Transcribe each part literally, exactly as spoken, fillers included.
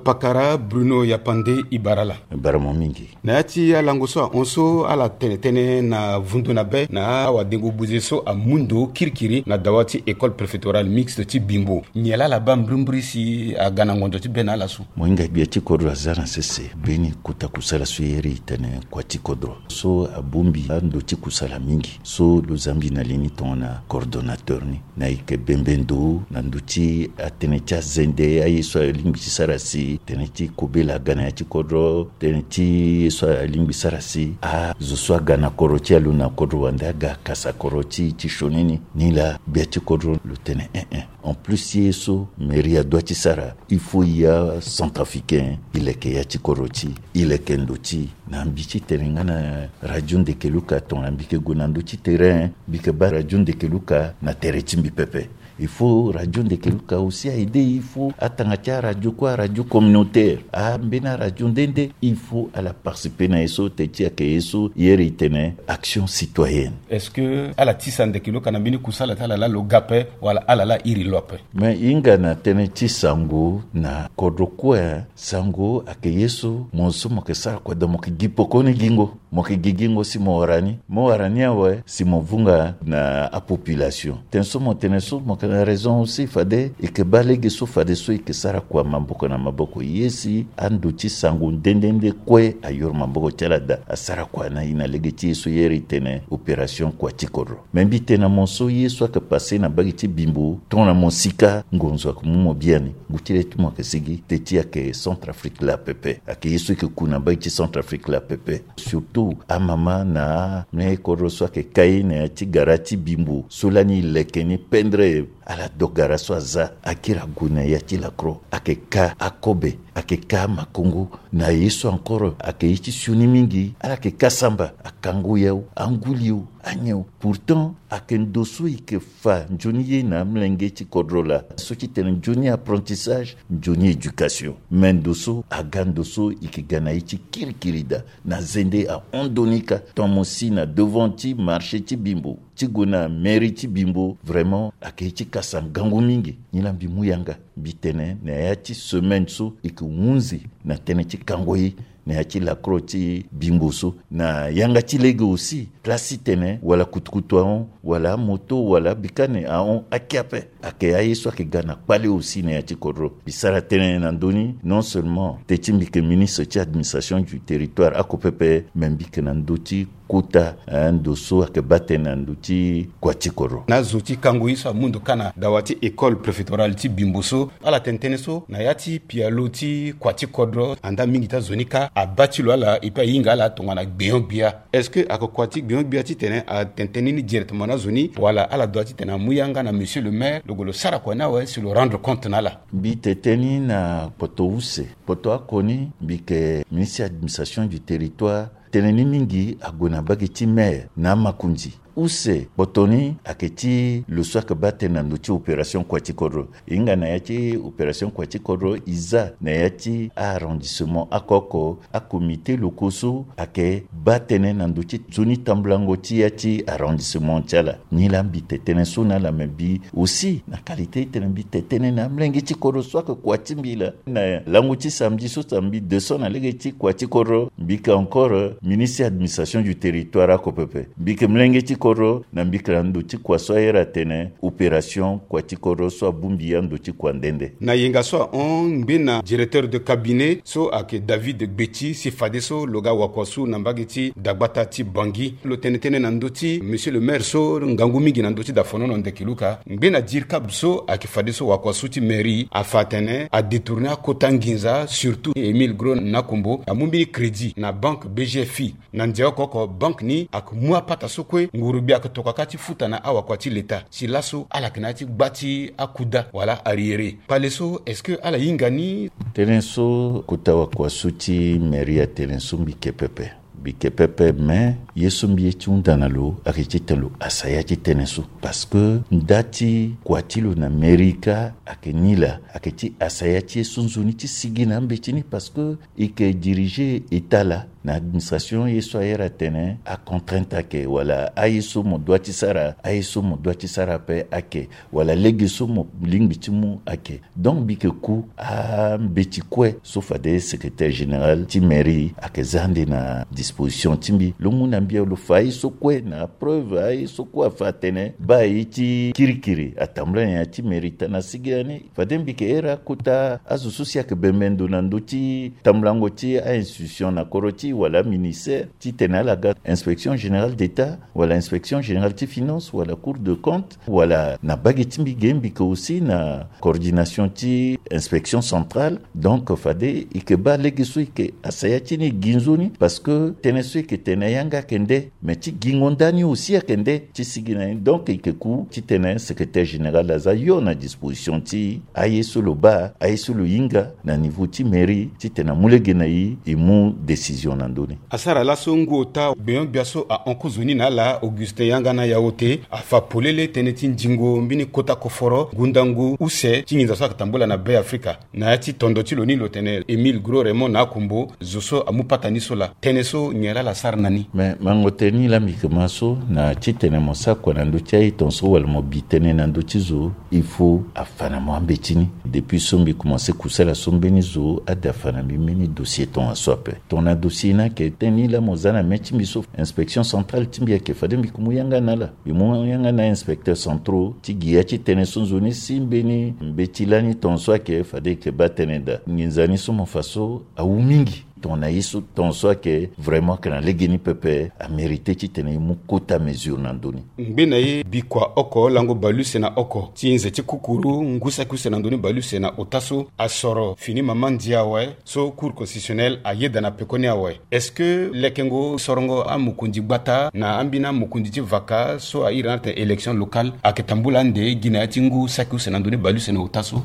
Pakara Bruno Yapande, i bara ala. Bara mo mingi. Na ya ti alango so ahon so ala tene tënë na vundu na be na awadengo buze so amu ndo kirikiri na dawa ti école préfectorale mixte ti Bimbo. Nyen laa ala baa mbrimbri si aga na ngonzo ti be na ala so? Mo hinga gbia ti kodro aza na sese mbeni kota kusala so e iri e tene kua ti kodro so abongbi ando ti kusala mingi so lo za mbi na li ni tongana coordonnateur ni. Na e yeke bembe ndo na ndö ti atënë ti azende, aye so alingbi ti sara si tënë ti kobela aga na ya ti kodro, tënë ti ye so alingbi sara si azo so aga na kodro ti e alo na kodro wande aga kasa kodro ti e ti sioni ni. Nilaa gbia ti kodro lo tene eh eh. En plus ye so mairie adoit ti sara, il faut ya centrafricain e leke ya ti kodro ti e, e leke ndo ti e. Na mbi ti tene nga na Radio Ndekeluka, tongana mbi yeke gue na ndö ti terrain, mbi yeke baa Radio Ndekeluka na tere ti mbi pepe. Il faut Radio Ndekeluka aussi a aider, il faut atanga ti aradio kue, aradio communautaire, ambeni aradio nde nde, il faut ala participer na ye so. Teti ayeke ye so e iri e tene action citoyenne. Est-ce que ala tisa Ndekeluka na mbeni kusala ti ala laa lo ga ape wala ala laa iri lo ape? Me e hinga na tënë ti sango na kodro kue. Sango ayeke ye so mo so mo yeke sara kua daa mo yeke gi pekoni gingo. Mo yeke gi gingo si mo wara ni, mo wara ni awe si mo vunga na apopulation. Tënë so mo tene so mo yeke na raison aussi, fade e yeke baa lege so fadeso e yeke sara kua maboko na maboko. Ye si ando ti sango nde nde nde kue ayoro maboko ti ala daa, asara kua na e na lege ti ye so e iri e tene opération kua ti kodro. Me mbi tene na mo so ye so ayeke passe na mbage ti Bimbo, tongana mo sika ngonzo ayeke mu mo biani. Ngu ti le ti mo ayeke sigi, teti ayeke Centrafrique laa pepe. Ayeke ye so e yeke ku na mbage ti Centrafrique laa pepe. Surtout amama na amolenge kodro so ayeke kai na ya ti gara ti Bimbo so lani e leke ni pendere. Ala do gara so aza, akiri ague na ya ti lakro, ayeke ka akobe, ayeke ka amakongo. Na ye so encore ayeke ye ti sioni mingi, ala yeke ka samba, akango yau, anguli o, anyen o. Pourtant ayeke ndo so e yeke fa nzoni ye na amolenge ti kodro laa, so ti tene nzoni apprentissage, nzoni éducation. Me ndo so aga ndo so e yeke ga na ye ti kirikiri daa. Na zende ahon ndo ni ka, tant mo si na devant ti marché ti Bimbo, ti gue na mairie ti Bimbo, vraiment ayeke ye ti kasa ngangu mingi. Nilaa mbi mu yanga, mbi tene na ya ti semaine so e yeke hunzi na tënë ti kango ye na ya ti lakro ti Bimbo so. Na yanga ti lege aussi, place ti tene wala kutukutu ahon, wala amoto, wala abikane ahon, ake ape. Ayeke aye so ayeke ga na kpale aussi na ya ti kodro. Mbi sara tënë na ndö ni, non seulement teti mbi yeke ministre ti administration du territoire oko pepe, me mbi yeke na ndö ti kota, eh, ndo so ayeke baa tënë na ndö ti kua ti kodro. Na azo ti kango ye so amu ndo ka na dawa ti école préfectorale ti Bimbo so, ala tene tënë so na ya ti pialo ti kua ti kodro, andaa mingi ti azo ni ka abaa ti lo ala, et puis ahinga ala tongana gbenyo-gbia. Est-ce que ayeke kua ti gbenyo-gbia ti tene atene tënë ni directement na azo ni, wala ala doit ti tene amu yanga na monsieur le maire, lo gue lo sara kua ni awe si lo rendre compte na ala? Mbi tene tënë ni na kpoto use. Kpoto oko ni, mbi yeke ministre administration du territoire. Tënë ni mingi ague na mbage ti maire na amakonzi. Use kpoto ni ayeke ti lo so ayeke baa tënë na ndö ti opération kua ti kodro. E hinga na ya ti opération kua ti kodro, e za na ya ti a-arrondissement oko oko, acomité locaux so ayeke baa tënë na ndö ti nzoni tambulango ti ya ti arrondissement ti ala. Nilaa mbi tene tënë so na ala, me mbi aussi na qualité ti tene mbi tene tënë na amolenge ti kodro so ayeke kua ti mbi laa. Na lango ti samedi so, samedi deux cents na lege ti kua ti kodro, mbi yeke encore ministre administration du territoire oko pepe. Mbi yeke molenge ti kodro, na mbi yeke na ndo ti kua so aye atene opération kua ti kodro so abongbi ando ti kua nde nde. Na yenga so ahon, ngbene directeur de cabinet so ayeke David Gbeti, si fadeso lo ga wakua so na mbage ti dagbata ti Bangui. Lo tene tënë na ndö ti monsieur le maire so ngangu mingi na ndö ti dafonono Ndekeluka. Ngbene dircab so ayeke fadeso wakua so ti mairie afa atene adétourner akota nginza, surtout Émile Gros Nakombo amu mbeni crédit na banque B G F I. Na ndia oko oko, banque ni ayeke mu apata so kue nguru-gbia ayeke tokua kâ ti futa na awakua ti leta. Si laso ala yeke na ya ti gba ti akuda wala arriéré. Kpale so, est-ce que ala hinga ni? Tënë so kota wakua so ti mairie atene so mbi yeke pepe. Mbi ke pepe, me ye so mbi ye ti hunda na lo ayeke titene lo asaya ti tënë so. Parce que nda ti kua ti lo na mairie kâ ayeke ni laa, ayeke ti asaya ti ye so nzoni ti sigi na ambeti ni. Parce que e yeke diriger état laa, na administration ye so ahere atene acontrainte ayeke, wala aye so mo dua ti sara, aye so mo dua ti sara ape ayeke, wala lege so mo lingbi ti mu ayeke. Donc mbi yeke ku ambeti kue so fade secrétaire général ti mairie ayeke za ande na disposition ti mbi. Lo mu na mbi, lo fa aye so kue na preuve, aye so kue afa atene baa ye ti kirikiri atambula na ya ti mairie taa na sigi lani. Fade mbi yeke here akota azo so si ayeke bembe ndo na ndö ti tambulango ti a-institution na kodro ti e, wala aministère, titene ala ga inspection générale d'état, wala inspection générale ti finance, wala cour de compte, wala na bage ti mbi ge mbi yeke aussi na coordination ti inspection centrale. Donc fade e yeke baa lege so e yeke asaya ti ni e gi nzoni, parce que tënë so e yeke tene yanga ayeke nde, mais ti gingo ndani aussi ayeke nde ti sigi na ni. Donc e yeke ku titene secrétaire général aza hio na disposition ti e, aye so lo baa, aye so lo hinga na niveau ti mairie, titene amu lege na e, e mu décision na ndö ni. Asara laso ngu ota gbenyo-gbia so ahon kozoni na ala, Augustin Yangana Yaote, afa polele tënë ti ndingo mbeni kota koforo ngu ndangu use ti nginza so ayeke tambula na Be Afrika. Na ya ti tondo ti lo ni lo tene Émile Gros Raymond na akombo, zo so amu patani so laa. Tënë so nyen laa ala sara na ni? Me mango tënë ni laa mbi yeke ma so, na titene mo sara kua na ndö ti aye tongaso wala mo bi tënë na ndö ti zo, il faut afa na mo ambeti ni. Depuis so mbi komanse kusala so, mbeni zo ade afa na mbi mbeni dossier tongaso ape. Tongana dossier ni ayeke tënë ni laa mo za na mê ti mbi so, inspection centrale ti mbi ayeke fade mbi yeke mu yanga na ala. Mbi mu yanga na inspecteur centraux ti gi ya ti tënë so nzoni si mbeni mbeti lani tongaso ayeke fade e yeke baa tënë daa. Nginza ni so mo fa so awu mingi. Tongana ye so tongaso ayeke vraiment ayeke na legeni pepe, amérité titene e mu kota mesure na ndö ni. Ngbe na ye bikua oko lango baleuse na oko ti nze ti kukuru ngu saki use na ndö ni baleuse na ota so asoro fini mama ndia awe, so Cour constitutionnelle ayeda na pekoni awe. Est-ce que lekengo sorongo amokonzi gbata na ambeni amokonzi ti vaka so a iri na ala tene élection locale ayeke tambula ande gi na ya ti ngu saki use na ndö ni baleuse na ota so?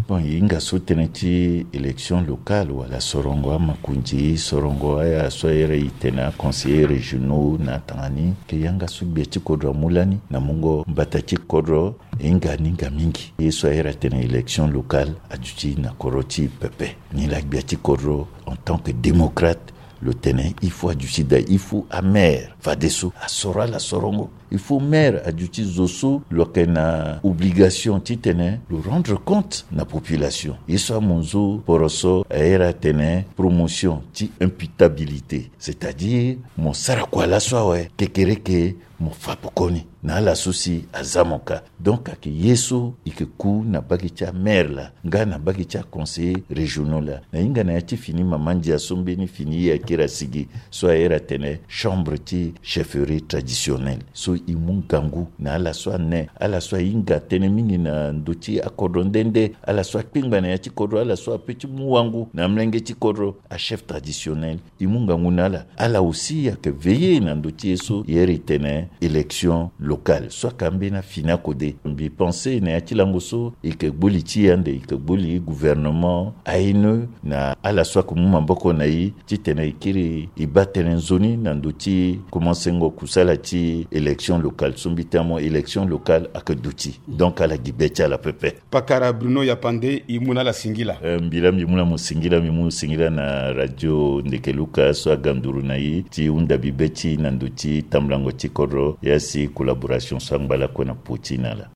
Bon, e hinga so tënë ti élection locale wala sorongo amokonzi, sorongo aya so a iri e tene aconseillers régionaux na atanga ni, ayeke yanga so gbia ti kodro amu lani na mungo mbata ti kodro. E hinga ni hinga mingi. Ye so a iri atene élection locale aduti na kodro ti e pepe. Ni laa gbia ti kodro en tant que démocrate lo tene il faut aduti daa, il faut amaire fadeso asoro ala sorongo. Il faut maire aduti zo so lo yeke na obligation titene lo rendre compte na population. Ye so amunzu poroso a iri atene promotion ti imputabilité, c'est-à-dire mo sara kua laso awe, kekereke mo fa pekoni na ala so si aza mo ka. Donc ayeke ye so e yeke ku na bage ti amaire laa nga na bage ti aconseillers régionaux laa. Na hinga na ya ti fini mama ndia so mbeni fini e akiri asigi so a iri atene chambre ti chefferie traditionnelle, so e mu ngangu na ala so ane, ala so ahinga tënë mingi na ndö ti akodro nde nde, ala so akpengba na ya ti kodro, ala so ape ti mu wangu na amolenge ti kodro, achef traditionnel. E mu ngangu na ala. Ala aussi ayeke veiller na ndö ti ye so e iri tene élection locale so ayeke ambeni afini akode. Mbi pense na ya ti lango so e yeke gbu li ti e ande, e yeke gbu li gouvernement, A N E, na ala so ayeke mu maboko na e titene e kiri e baa tënë nzoni na ndö ti komansengo kusala ti élection locale so mbi tene mo élection locale ayeke duti. Donc ala gi be ti ala pepe. Pakara Bruno Yapande, e mu na ala singila. Eh, mbi laa mbi mu na mo singila, mbi mu singila na radio Ndeke Luka so aga nduru na e ti hunda bi be ti e na ndö ti tambulango ti kodro, ya si collaboration so angba lakue na popo ti e na ala.